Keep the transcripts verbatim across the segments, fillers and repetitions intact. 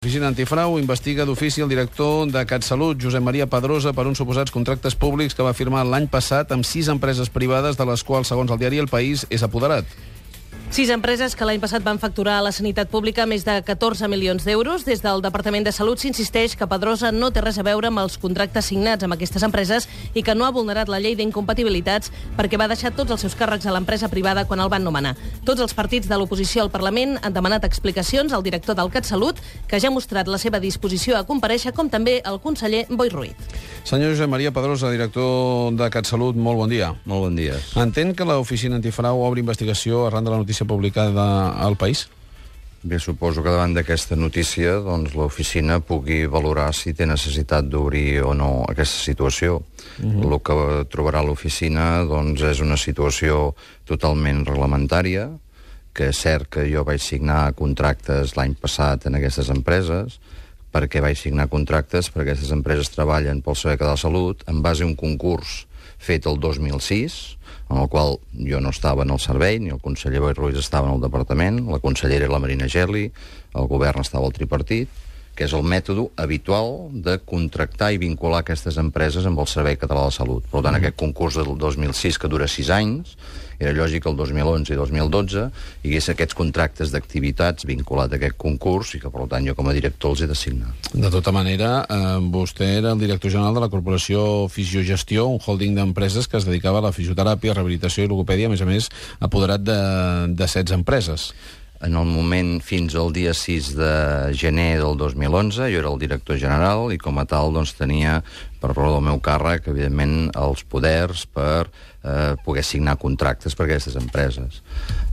L'Oficina Antifrau investiga d'ofici el director de CatSalut, Josep Maria Pedrosa, per uns suposats contractes públics que va firmar l'any passat amb sis empreses privades, de les quals, segons el diari El País, és apoderat. Sis empreses que l'any passat van facturar a la sanitat pública més de catorze milions d'euros. Des del Departament de Salut s'insisteix que Pedrosa no té res a veure amb els contractes signats amb aquestes empreses i que no ha vulnerat la llei d'incompatibilitats perquè va deixar tots els seus càrrecs a l'empresa privada quan el van nomenar. Tots els partits de l'oposició al Parlament han demanat explicacions al director del CatSalut, que ja ha mostrat la seva disposició a comparèixer, com també el conseller Boi Ruiz. Senyor Josep Maria Pedrosa, director de CatSalut, molt bon dia. Molt bon dia. Entén que l'Oficina Antifrau obre investigació arran de la notícia publicada al País? Bé, suposo que davant d'aquesta notícia doncs, l'oficina pugui valorar si té necessitat d'obrir o no aquesta situació. Uh-huh. El que trobarà l'oficina doncs, és una situació totalment reglamentària, que és cert que jo vaig signar contractes l'any passat en aquestes empreses. Per què vaig signar contractes? Perquè aquestes empreses treballen pel Servei Català de Salut en base a un concurs fet el dos mil sis, en el qual jo no estava en el servei, ni el conseller Boi Ruiz estava en el departament, la consellera era la Marina Geli, el govern estava al tripartit, que és el mètode habitual de contractar i vincular aquestes empreses amb el Servei Català de Salut. Per tant, mm. aquest concurs del dos mil sis, que dura sis anys, era lògic que el dos mil onze i dos mil dotze hi hagués aquests contractes d'activitats vinculats a aquest concurs i que, per tant, jo com a director els he de signar. De tota manera, eh, vostè era el director general de la Corporació Fisiogestió, un holding d'empreses que es dedicava a la fisioteràpia, rehabilitació i logopèdia, a més a més, apoderat de, de setze empreses. En el moment, fins al dia sis de gener del dos mil onze, jo era el director general i com a tal doncs, tenia, per raó del meu càrrec, evidentment, els poders per eh, poder signar contractes per a aquestes empreses.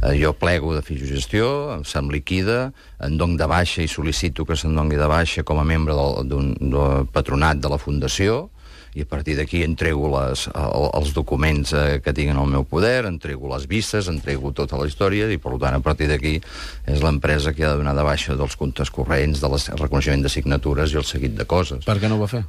Eh, jo plego de fisiogestió, se'm liquida, em dono de baixa i sol·licito que se'm doni de baixa com a membre del, d'un, del patronat de la Fundació, i a partir d'aquí entrego les, els documents eh, que tinc en el meu poder, entrego les vistes, entrego tota la història, i per tant a partir d'aquí és l'empresa que ha de donar de baixa dels comptes corrents, del reconeixement de signatures i el seguit de coses. Per què no ho va fer?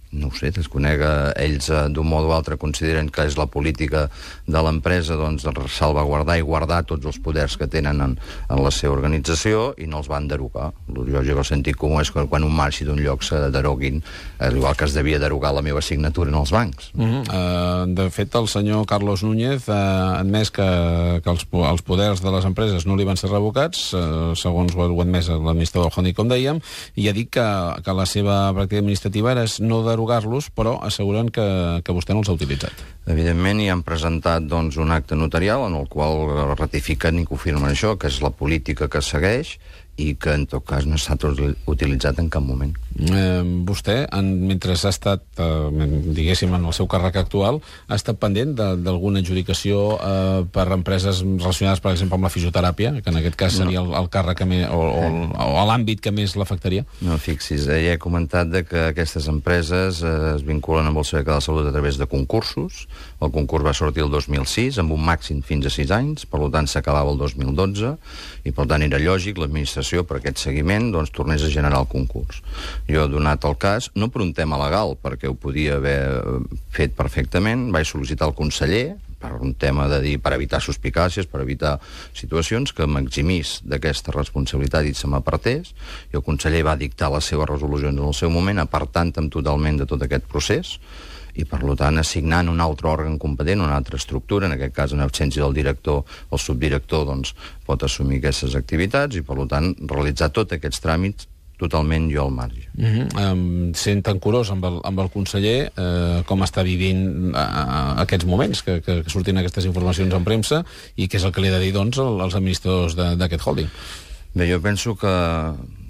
No ho sé, desconec. Ells eh, d'un modo o altre consideren que és la política de l'empresa doncs, salvaguardar i guardar tots els poders que tenen en, en la seva organització i no els van derogar. El lògic, el sentit comú és que quan un marxi d'un lloc se deroguin, eh, igual que es devia derogar la meva signatura en els bancs. Uh-huh. uh, de fet, el senyor Carlos Núñez ha admès que, que els, els poders de les empreses no li van ser revocats, uh, segons ho ha admès l'administrador del holding, com dèiem, i ha dit que, que la seva pràctica administrativa era no de derogar-los, però asseguren que, que vostè no els ha utilitzat. Evidentment, hi han presentat doncs, un acte notarial en el qual ratifiquen i confirmen això, que és la política que segueix i que, en tot cas, no ha estat utilitzat en cap moment. Eh, vostè, en, mentre ha estat, eh, diguéssim, en el seu càrrec actual, ha estat pendent d'alguna adjudicació eh, per empreses relacionades, per exemple, amb la fisioteràpia, que en aquest cas seria el, el càrrec que més, o, o, o l'àmbit que més l'afectaria? No, fixis, eh, ja he comentat de que aquestes empreses eh, es vinculen amb el Servei Català de Salut a través de concursos. El concurs va sortir el dos mil sis, amb un màxim fins a sis anys, per tant s'acabava el dos mil dotze, i per tant era lògic l'administració per aquest seguiment doncs, tornés a generar el concurs. Jo he donat el cas, no per un tema legal, perquè ho podia haver fet perfectament, vaig sol·licitar al conseller, per un tema de dir, per evitar suspicàcies, per evitar situacions, que m'eximís d'aquesta responsabilitat i se m'apartés, i el conseller va dictar les seves resolucions en el seu moment, apartant-me totalment de tot aquest procés, i per tant assignant un altre òrgan competent, una altra estructura, en aquest cas en absència del director, el subdirector doncs, pot assumir aquestes activitats i per tant realitzar tots aquests tràmits totalment jo al marge. Uh-huh. um, sent tan curós amb el, amb el conseller, eh, com està vivint uh, aquests moments que, que, que surtin aquestes informacions en premsa i què és el que li ha de dir doncs, als administradors d'aquest holding? Bé, jo penso que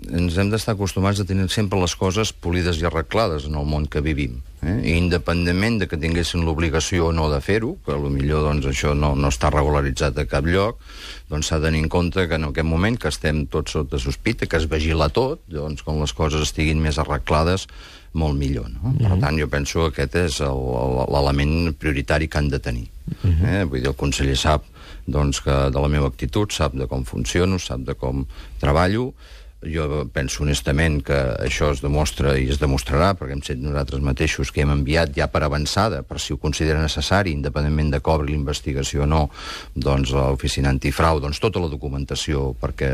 ens hem d'estar acostumats a tenir sempre les coses polides i arreglades en el món que vivim. Eh? I independentment de que tinguessin l'obligació o no de fer-ho, que potser doncs, això no, no està regularitzat a cap lloc, doncs s'ha de tenir en compte que en aquest moment que estem tots sota sospita, que es vigila tot, doncs com les coses estiguin més arreglades, molt millor. No? Mm-hmm. Per tant, jo penso que aquest és l'element prioritari que han de tenir. Mm-hmm. eh? Vull dir, el conseller sap doncs, que de la meva actitud, sap de com funciono, sap de com treballo, Jo penso honestament que això es demostra i es demostrarà, perquè hem set nosaltres mateixos que hem enviat ja per avançada, per si ho considera necessari, independentment de cobri l'investigació o no, doncs a l'oficina antifrau, doncs tota la documentació perquè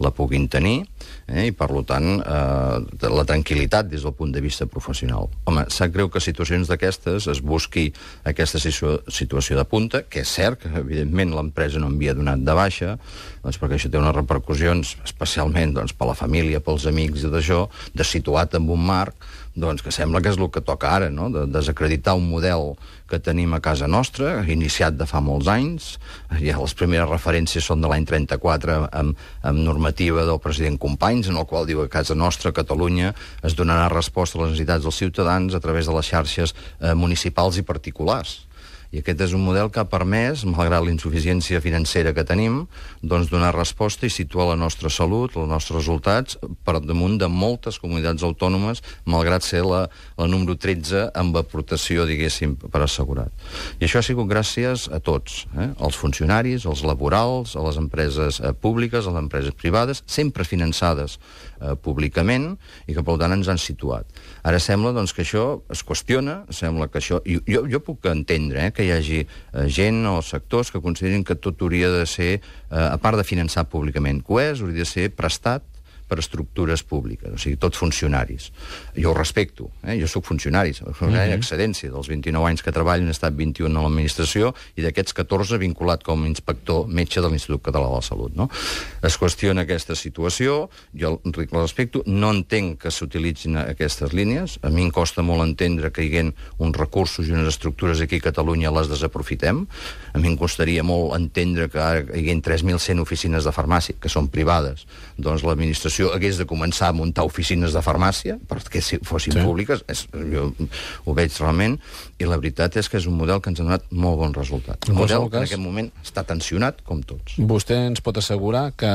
la puguin tenir, eh, i per tant eh, la tranquil·litat des del punt de vista professional. Home, sap greu que situacions d'aquestes es busqui aquesta situació de punta, que és cert que evidentment l'empresa no havia donat de baixa, doncs perquè això té unes repercussions especialment doncs, per la família, pels amics i d'això, de situat en un marc doncs, que sembla que és el que toca ara, no? De desacreditar un model que tenim a casa nostra, iniciat de fa molts anys. Ja les primeres referències són de l'any trenta-quatre amb, amb normativa del president Companys, en el qual diu que a casa nostra, a Catalunya, es donarà resposta a les necessitats dels ciutadans a través de les xarxes eh, municipals i particulars. I aquest és un model que ha permès, malgrat la insuficiència financera que tenim, doncs donar resposta i situar la nostra salut, els nostres resultats, per damunt de moltes comunitats autònomes, malgrat ser la, la número tretze amb aportació, diguéssim, per assegurat. I això ha sigut gràcies a tots, eh? als funcionaris, als laborals, a les empreses eh, públiques, a les empreses privades, sempre finançades eh, públicament, i que, per tant, ens han situat. Ara sembla doncs, que això es qüestiona, sembla que això... Jo, jo puc entendre, eh, que hi hagi eh, gent o sectors que considerin que tot hauria de ser, eh, a part de finançar públicament, que ho és, hauria de ser prestat per estructures públiques, o sigui, tots funcionaris. Jo ho respecto, eh? Jo soc funcionari, funcionari d'excedència, dels vint-i-nou anys que treballo, he estat vint-i-un a l'administració, i d'aquests catorze vinculat com a inspector metge de l'Institut Català de la Salut. No? Es qüestiona aquesta situació, jo el respecto, no entenc que s'utilitzin aquestes línies, a mi em costa molt entendre que hi haguin uns recursos i unes estructures aquí a Catalunya les desaprofitem, a mi em costaria molt entendre que ara hi haguin tres mil cent oficines de farmàcia, que són privades, doncs l'administració hagués de començar a muntar oficines de farmàcia perquè si fossin sí. públiques, és, jo ho veig realment, i la veritat és que és un model que ens ha donat molt bons resultats. Un model que en aquest moment està tensionat com tots. Vostè ens pot assegurar que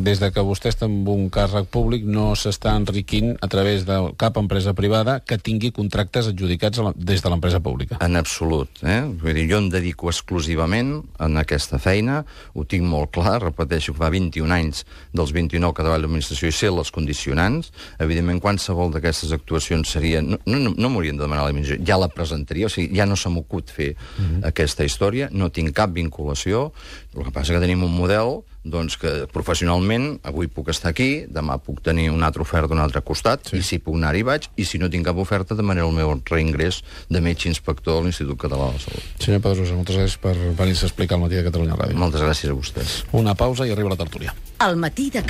des de que vostè està en un càrrec públic no s'està enriquint a través de cap empresa privada que tingui contractes adjudicats la, des de l'empresa pública? En absolut. Eh? Vull dir, jo em dedico exclusivament en aquesta feina, ho tinc molt clar, repeteixo, fa vint-i-un anys dels vint-i-nou que treballo l'administració i ser les condicionants. Evidentment, qualsevol d'aquestes actuacions seria... No, no, no m'haurien de demanar l'administració, ja la presentaria, o sigui, ja no se m'acut fer uh-huh. aquesta història, no tinc cap vinculació. El que passa que tenim un model doncs que professionalment avui puc estar aquí, demà puc tenir una altra oferta d'un altre costat, sí. i si puc anar-hi vaig, i si no tinc cap oferta demanaré el meu reingrés de metge inspector a l'Institut Català de la Salut. Senyor Pedrosa, moltes gràcies per venir-se a explicar al Matí de Catalunya Ràdio. Moltes gràcies a vostès. Una pausa i arriba la tertúlia. El Matí de